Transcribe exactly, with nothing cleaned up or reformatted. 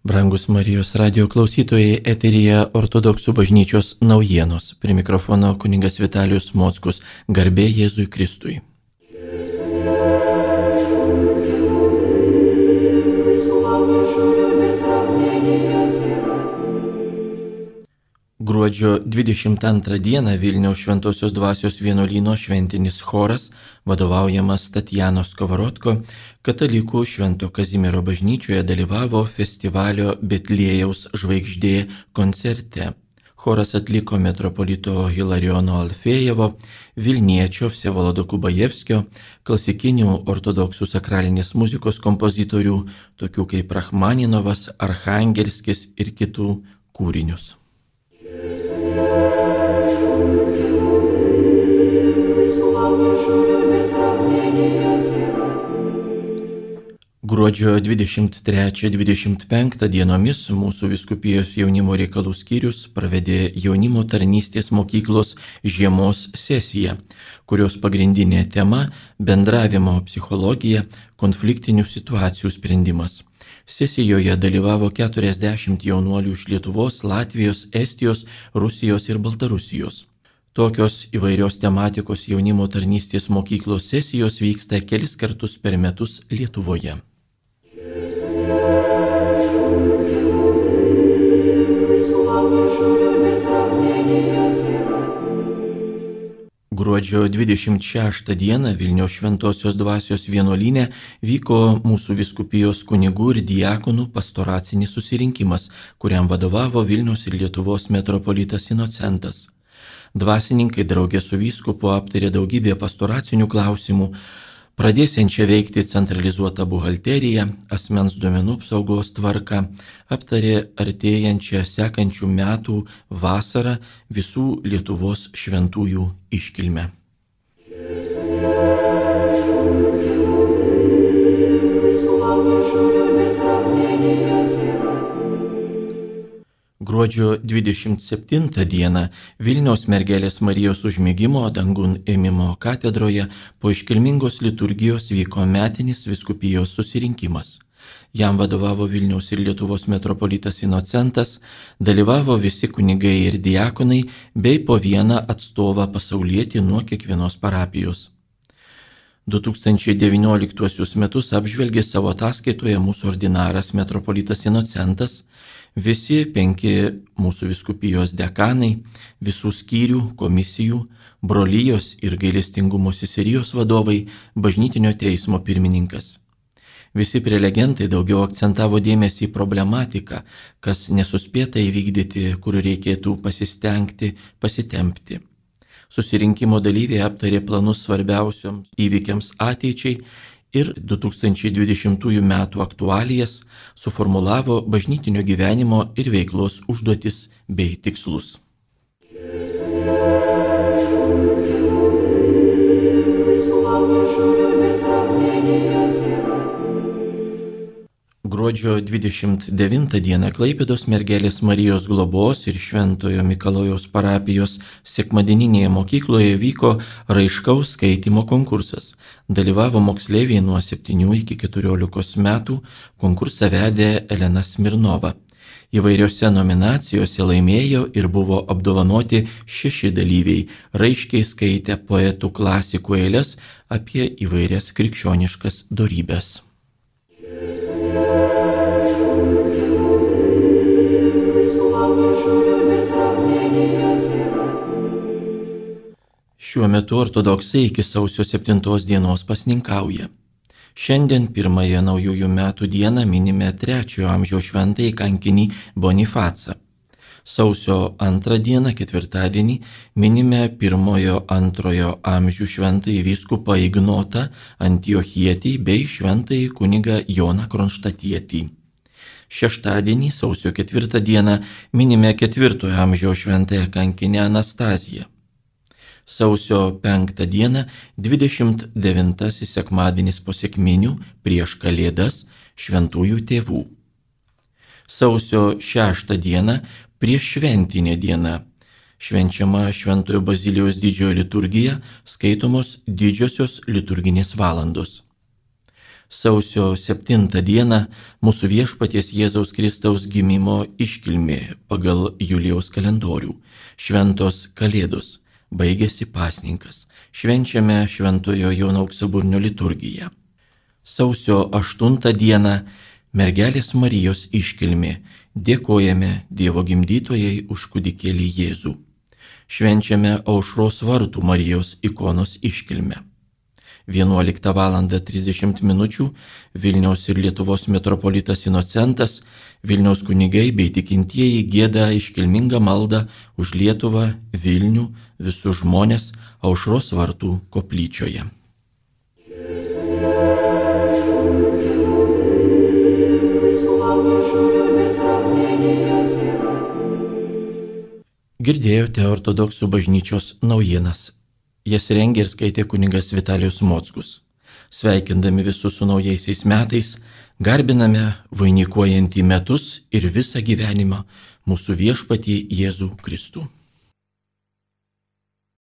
Brangus Marijos radio klausytojai, eteryje Ortodoksų bažnyčios naujienos. Prie mikrofono kunigas Vitalijus Mockus. Garbė Jėzui Kristui. Gruodžio dvidešimt antrą dieną Vilniaus Šventosios Dvasios vienuolyno šventinis choras, vadovaujamas Tatjanos Kovarotko, katalikų Švento Kazimiero bažnyčioje dalyvavo festivalio Betliejaus žvaigždė koncerte. Choras atliko metropolito Hilarijono Alfėjevo, Vilniečio Vsevolodo Kubajevskio, klasikinių ortodoksų sakralinės muzikos kompozitorių, tokių kaip Rachmaninovas, Archangelskis ir kitų kūrinius. Gruodžio dvidešimt trečią dvidešimt penktą dienomis mūsų vyskupijos jaunimo reikalų skyrius pravedė jaunimo tarnystės mokyklos žiemos sesiją, kurios pagrindinė tema – bendravimo psichologija, konfliktinių situacijų sprendimas. Sesijoje dalyvavo keturiasdešimt jaunuolių iš Lietuvos, Latvijos, Estijos, Rusijos ir Baltarusijos. Tokios įvairios tematikos jaunimo tarnystės mokyklos sesijos vyksta kelis kartus per metus Lietuvoje. Gruodžio dvidešimt šeštą dieną Vilniaus Šventosios Dvasios vienuolyne vyko mūsų vyskupijos kunigų ir diakonų pastoracinis susirinkimas, kuriam vadovavo Vilniaus ir Lietuvos metropolitas Inocentas. Dvasininkai draugė su vyskupu aptarė daugybę pastoracinių klausimų, pradėsiančią veikti centralizuotą buhalteriją, asmens duomenų apsaugos tvarką, aptarė artėjančią sekančių metų vasarą visų Lietuvos šventųjų iškilmę. Gruodžio dvidešimt septintą dieną Vilniaus Mergelės Marijos užmigimo dangun ėmimo katedroje po iškilmingos liturgijos vyko metinis vyskupijos susirinkimas. Jam vadovavo Vilniaus ir Lietuvos metropolitas Inocentas, dalyvavo visi kunigai ir diakonai bei po vieną atstovą pasaulietį nuo kiekvienos parapijos. du tūkstančiai devynioliktuosius metus apžvelgė savo ataskaitoje mūsų ordinaras metropolitas Inocentas, visi penki mūsų vyskupijos dekanai, visų skyrių, komisijų, brolijos ir gailestingumo seserijos vadovai, bažnytinio teismo pirmininkas. Visi prelegentai daugiau akcentavo dėmesį į problematiką, kas nesuspėta įvykdyti, kur reikėtų pasistengti, pasitempti. Susirinkimo dalyviai aptarė planus svarbiausioms įvykiams ateičiai ir du tūkstančiai dvidešimtųjų metų aktualijas, suformulavo bažnytinio gyvenimo ir veiklos užduotis bei tikslus. Gruodžio dvidešimt devintą dieną Klaipėdos Mergelės Marijos globos ir Šventojo Mikalojaus parapijos sekmadieninėje mokykloje vyko raiškaus skaitymo konkursas. Dalyvavo moksleiviai nuo septynių iki keturiolikos metų, konkursą vedė Elena Smirnova. Įvairiose nominacijose laimėjo ir buvo apdovanoti šeši dalyviai, raiškiai skaitę poetų klasikų eiles apie įvairias krikščioniškas dorybes. Šiuo metu ortodoksai iki sausio septintos dienos pasninkauja. Šiandien pirmąją naujųjų metų dieną minime trečiojo amžiaus šventąjį kankinį Bonifacą. Sausio antrą dieną, ketvirtadienį, minime pirmojo antrojo amžių šventąjį vyskupą Ignotą Antiochietį bei šventąjį kunigą Joną Kronštatietį. Šeštadienį, sausio ketvirtą dieną, minime ketvirtojo amžiaus šventąją kankinę Anastaziją. Sausio penktą dieną, dvidešimt devintasis sekmadienis po sekminių prieš Kalėdas šventųjų tėvų. Sausio šeštą dieną, prieš šventinę dieną, švenčiama Šventojo Bazilijaus didžiojo liturgija, skaitomos didžiosios liturginės valandos. Sausio septintą dieną mūsų viešpaties Jėzaus Kristaus gimimo iškilmė pagal Julijaus kalendorių. Šventos Kalėdos. Baigėsi pasninkas. Švenčiame Šventojo Jono Auksaburnio liturgiją. Sausio aštuntą dieną mergelės Marijos iškilmė. Dėkojame Dievo gimdytojai už kūdikėlį Jėzų. Švenčiame Aušros vartų Marijos ikonos iškilmę. vienuoliktą valandą trisdešimt minučių Vilniaus ir Lietuvos metropolitas Inocentas, Vilniaus kunigai bei tikintieji gieda iškilmingą maldą už Lietuvą, Vilnių, visus žmones Aušros vartų koplyčioje. Girdėjote ortodoksų bažnyčios naujienas. Jas rengė ir skaitė kunigas Vitalijus Mockus. Sveikindami visus su naujaisiais metais, garbiname vainikuojantį metus ir visą gyvenimą mūsų viešpatį Jėzų Kristų.